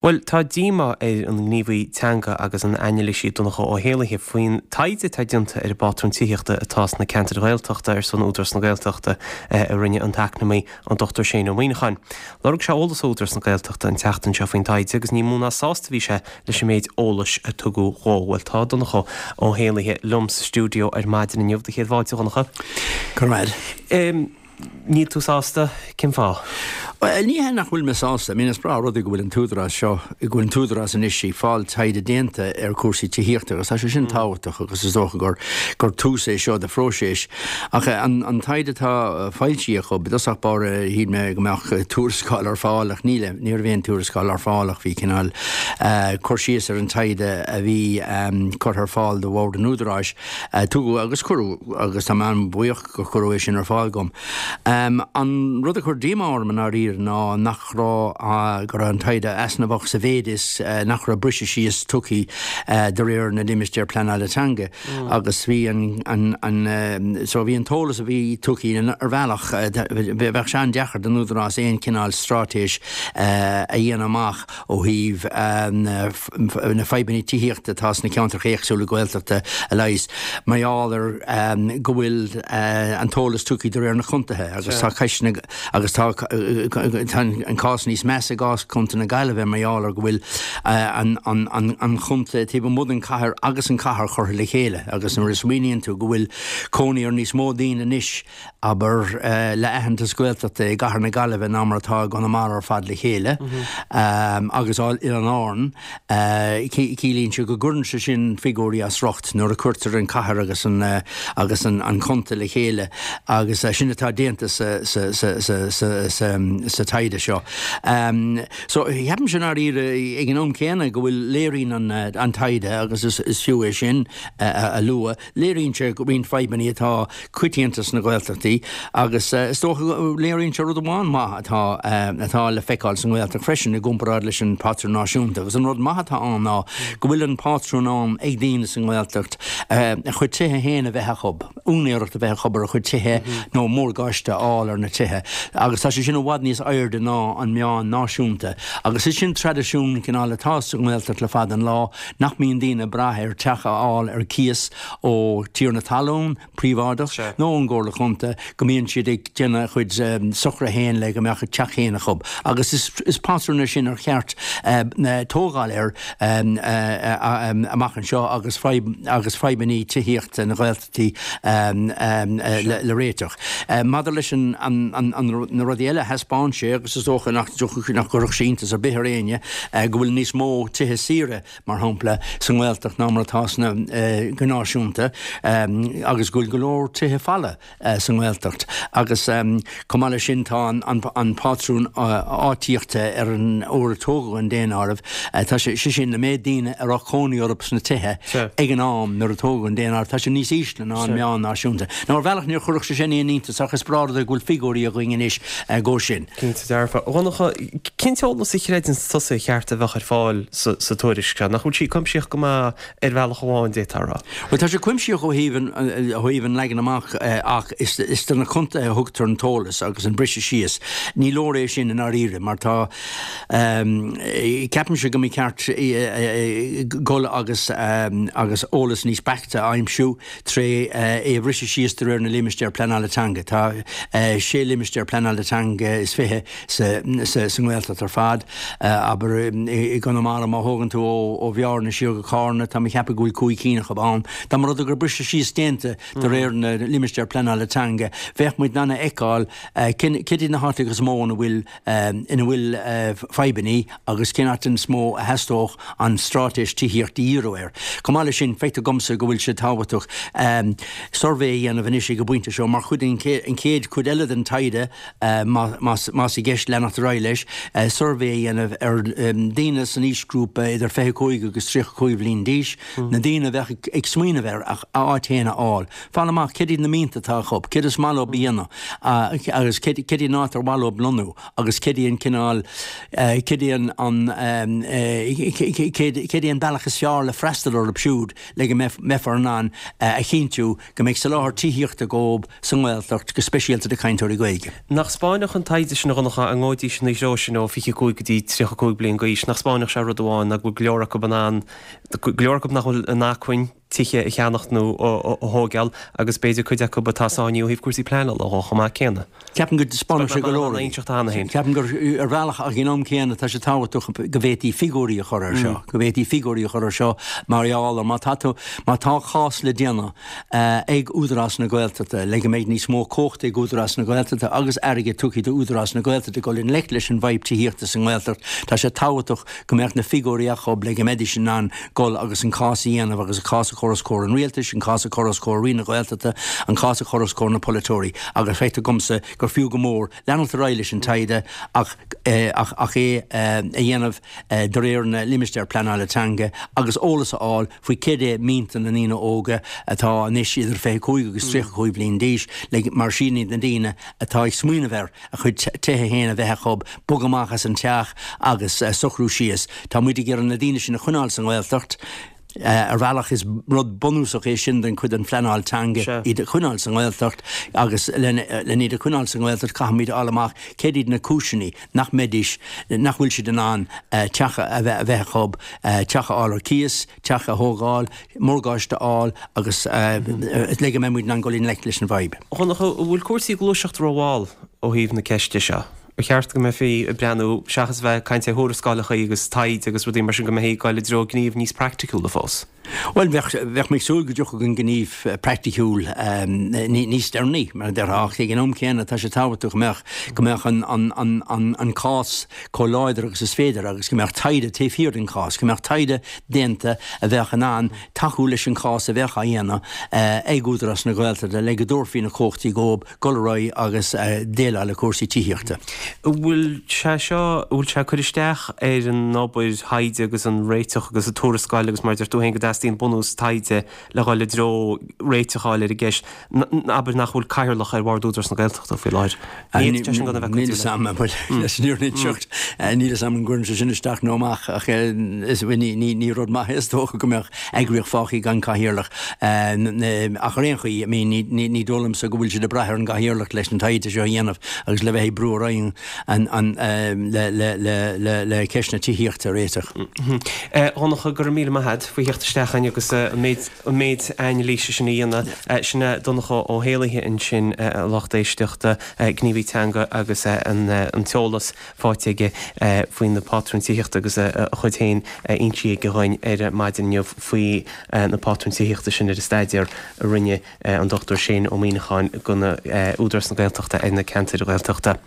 Bhuel, tá díomá ar an ngníomhaí teanga agus an anailísí Donncha Ó hÉallaithe faoin taighde atá déanta ar an bpátrún tithíochta atá sna ceantair Ghaeltachta ar son Údarás na Gaeltachta a rinne an t-eacnamaí an Dr Shane Ó Muíneacháin. Lorg sé eolas ó Údarás na Gaeltachta an tseachtain seo faoin taighde agus ní mó ná sásta a bhí sé leis an méid eolais a tugadh dhó. Bhuel, tá Donncha Ó hÉallaithe liom sa stiúideo ar maidin inniu. Do chéad fáilte, a Dhonncha. Go raibh maith. Níl tú sásta? Cén fáth? Bhuel, ní hea nach bhfuil mé sásta. I mean, is breá an rud é go bhfuil an t-údarás seo, go bhfuil an t-údarás anois ag fáil taighde déanta ar chúrsaí tithíochta agus tá sé sin tábhachtach agus is dócha gur, gur tús é seo de phróiseas. Ach an, an taighde atá foilsithe acu, i dtosach báire shíl mé go mbeadh tuarascáil ar fáil ach níl, ní raibh aon tuarascáil ar fáil ach bhí cineál cur síos ar an taighde a bhí curtha ar fáil do bhord an údaráis. Tugadh agus cuireadh agus tá mé an-bhuíoch gur cuireadh é sin ar fáil dom. An rud a chuir díomá orm i ndáiríre ná nach raibh, go raibh an taighde easnamhach sa mhéid is nach raibh briseadh síos tugtha de réir na limistéar pleanála teanga agus bhí an, an, an, so bhí an t-eolas a bhí tugtha ar bhealach, bheadh sé an-deacair don Údarás aon chineál straitéis a dhéanamh amach ó thaobh na fadhbanna tithíochta atá sna ceantracha éagsúla Gaeltachta a leigheas, mar gheall ar go bhfuil an t-eolas tugtha de réir na contaetha agus tá ceisteanna agus tá an cás níos measa i gcás Chontae na Gaillimhe mar gheall ar go bhfuil an chontae taobh amuigh den chathair agus an chathair curtha le chéile agus nuair a smaoiníonn tú go bhfuil cónaí ar níos mó daoine anois abair, le aitheantas Gaeltachta i gcathair na Gaillimhe ná mar atá i gConamara ar fad le chéile, agus Oileáin Árann, ciallaíonn sé go gcuireann sé sin figiúirí as riocht nuair a cuirtear an cathair agus an agus an contae le chéile agus sin atá déanta sa sa sa sa sa sa sa taighde seo. So, ceapaimse i ndáiríre ag an am céanna go bhfuil léiríonn an an taighde agus is is fiú é sin a lua, Léiríonn sé roinnt fadhbanna atá coitianta sna Gaeltachtaí agus is dócha go léiríonn sé rud amháin maith atá atá le feiceáil sa nGaeltacht freisin i gcomparáid leis an bpatrún náisiúnta agus an rud maith atá ann ná go bhfuil an pátrún ann ag daoine sa nGaeltacht a chuid tithe féin a bheith acu, úinéireacht a bheith acu ar a chuid tithe nó morgáiste a fháil ar na tithe agus tá sé sin i bhfad níos airde ná an meán náisiúnta agus is sin traidisiún cineál atá sa nGaeltacht le fada an lá. Nach mbíonn daoine ag brath ar teach a fháil ar cíos ó tiarna talún príobháideach nó ón gComhairle Chontae, go mbíonn siad ag déanamh a chuid socruithe féin le go mbeadh a dteach féin acu. Agus is patrún é sin ar cheart tógáil air amach anseo agus agus fadhbanna tithíochta na Gaeltachtaí le réiteach. Maidir leis na rudaí eile a thaispeáin sé, agus is dócha nach gcuirfeadh sé iontas ar bith ar éinne, go bhfuil níos mó tithe saoire, mar shampla, sa nGaeltacht ná mar atá sna, go náisiúnta, agus go bhfuil go leor tithe folamh sa nGaeltacht. Agus chomh maith leis sin tá an pátrún áitíochta ar an uair a tógadh an daonáireamh, tá sé, sé sin, na méid daoine a raibh cónaí orthu sna tithe ag an am nuair a tógadh an daonáireamh, tá sé níos ísle ná an meán náisiúnta. Now ar bhealach níor chuirfeadh sé sin aon iontas ach is breá rud é go bhfuil figiúirí againn anois dhó sin. Cinnte dearfa. A Dhonncha, cén t-eolas a chreideann tusa ar cheart a bheadh ar fáil sa tuairisc seo? Nach bhfuil sí cuimsitheach go maith ar bhealach amháin, d'fhéadfá a rá? Bhuel, tá sé cuimsitheach ó thaobh an, ó thaobh an leagan amach ach is, is do na contaetha a thugtar an t-eolas agus an briseadh síos. Ní leor é sin i ndáiríre mar tá, ceapaimse go mba cheart dul agus, agus eolas níos beaichte a aimsiú. Tré é a bhriseadh síos de réir na limistéar pleanála teanga, tá sé limistéar pleanála teanga is 20 sa nGaeltacht ar fad. Abair, i gConamara, má thógann tú ó Bhearna siar go Cárna, tá mé ag ceapadh go bhfuil cúig cinn acu ann. Dá mba rud é go raibh briseadh síos déanta de réir na limistéar pleanála teanga, bheadh muid in ann a fheiceáil céard iad na háiteacha is mó ina bhfuil ina bhfuil fadhbanna agus cén áit is mó a theastódh an straitéis tithíochta a dhíriú air. Chomh maith leis sin, feictear domsa go bhfuil sé tábhachtach suirbhé a dhéanamh anois ag an bpointe seo mar chuid den chéad chuid eile den taighde, más i gceist leanacht ar aghaidh leis, suirbhé a dhéanamh ar dhaoine san aoisghrúpa idir 25 agus 35 bhliain d'aois, na daoine a bheadh ag smaoineamh ar a áit féin a fháil. Fáil amach céard iad na mianta atá acu, céard is maith leo a dhéanamh agus céard í an áit ar mhaith leo lonnú agus céard í an cineál, céard í an, céard í an bealach is fearr le freastal orthu siúd le go mbeifear in ann a chinntiú go mbeidh soláthar tithíochta dhóibh sa nGaeltacht, go speisialta do chainteoirí Gaeilge. Nach 'spáinfeadh an taighde seo. sin a Dhonncha, dá ngabhaidís ina threo sin ó 25 go dtí 35 bliain d'aois, nach spáinfeadh sé rud amháin, ná go bhfuil go leor acu in ann, go leor acu nach bhfuil in acmhainn tithe a cheannacht nó a thóigeáil agus b'fhéidir cuid acu atá sáinnithe ó thaobh cúrsaí pleanála dhó chomh maith céanna. Ceapaim go dtaispeánfadh sé go leor rudaí. Ceapaim gur, ar bhealach, ach ag an am céanna, tá sé tábhachtach go bhféadfaí figiúirí a chur air seo, go bhféadfaí figiúirí a chur air seo mar gheall ar má tá tú, má tá cás le déanamh ag Údarás na Gaeltachta le go mbeidh níos mó cumhachta ag Údarás na Gaeltachta agus airgead tugtha do Údarás na Gaeltachta dul i ngleic leis an bhfadhb tithíochta sa nGaeltacht, tá sé tábhachtach go mbeadh na figiúirí acu le go mbeidís in ann dul agus an cás a dhéanamh agus an cás a chur os comhair an rialtais, an cás a chur os comhair Roinn na Gaeltachta, an cás a chur os comhair na polaiteoirí agus feictear dhomsa gur fiú go mór leanacht ar aghaidh leis an taighde ach ach é a dhéanamh de réir na limistéar pleanála teanga agus eolas a fháil faoi céard é mianta na ndaoine óga atá anois idir 25 agus 35 bliain d'aois mar sin iad na daoine atá ag smaoineamh ar a gcuid tithe féin a bheith acu, bogadh amach as an teach agus socrú síos. Tá muid ag iarraidh na daoine sin a choinneáil sa nGaeltacht. Ar bhealach is rud bunúsach é sin den chuid den phleanáil teanga, iad a choinneáil sa nGaeltacht agus len iad a choinneáil sa nGaeltacht caithfimid a fháil amach céard iad na cúiseanna nach mbeidís, nach bhfuil siad in ann teach a bheith acu, teach a fháil ar cíos, teach a thógáil, morgáiste a fháil agus le go mbeidh muid in ann dul i ngleic leis an bhfadhb. A Dhonncha, an bhfuil cúrsaí ag gluaiseacht rómhall ó thaobh na ceiste seo? Ar cheart go mbeifí ag breathnú, seachas a bheith ag caint ar thuarascálacha agus taighde agus rudaí mar sin, go mbeifí ag dul i dtreo gníomh níos praiticiúla fós? Bhuel, bheadh, bheadh mé ag súil go dtiocfadh an gníomh praiticiúil níos deireanaí, mar a déarfá, ach ag an am céanna tá sé tábhachtach go mbeadh, go mbeadh an, an, an, an, an cás chomh láidir agus is féidir agus go mbeadh taighde taobh thiar den chás, go mbeadh taighde déanta a bheadh in ann tacú leis an chás a bheadh á dhéanamh ag Údarás na Gaeltachta le go dtabharfaí na cumhachtaí dhóibh dul ar aghaidh agus déileáil le cúrsaí tithíochta. An bhfuil sé seo, an bhfuil sé ag cur isteach ar an obair thaighde agus an réiteach agus an tuarascáil agus mar a deir tú féin go dteastaíonn bunús taighde le dhul i dtreo réiteach a fháil ar an gceist, abair nach bhfuil cathaoirleach ar bhord Údarás na Gaeltachta faoi láthair. Ní fhéadfadh sé sin gan a bheith cuidiú leis. Bhuel, leis an fhírinne a inseacht, níl 'fhios a'm an gcuireann sé sin isteach nó amach ach ní rud maith é is dócha go mbeadh eagraíocht fágtha gan cathaoirleach. Ach ar aon chaoi, I mean, ní dóigh liomsa go bhfuil siad ag brath ar an gcathaoirleach leis an taighde seo a dhéanamh agus le bheith ag brú ar aghaidh le ceist na tithíochta a réiteach. A Dhonncha, go raibh míle maith agat faoi theacht isteach chugainn agus an méid an méid anailíse sin a dhéanamh. Sin é Donncha Ó hÉallaithe ansin, a lucht éisteachta, gníomhaí teanga agus an t-eolas faighte aige faoi na pátrúin tithíochta agus a chuid féin insithe aige dhuinn ar maidin inniu faoi na pátrúin tithíochta sin ar an staidéar a rinne an Dr Shane Ó Muíneacháin do Údarás na Gaeltachta ar na ceantair Ghaeltachta.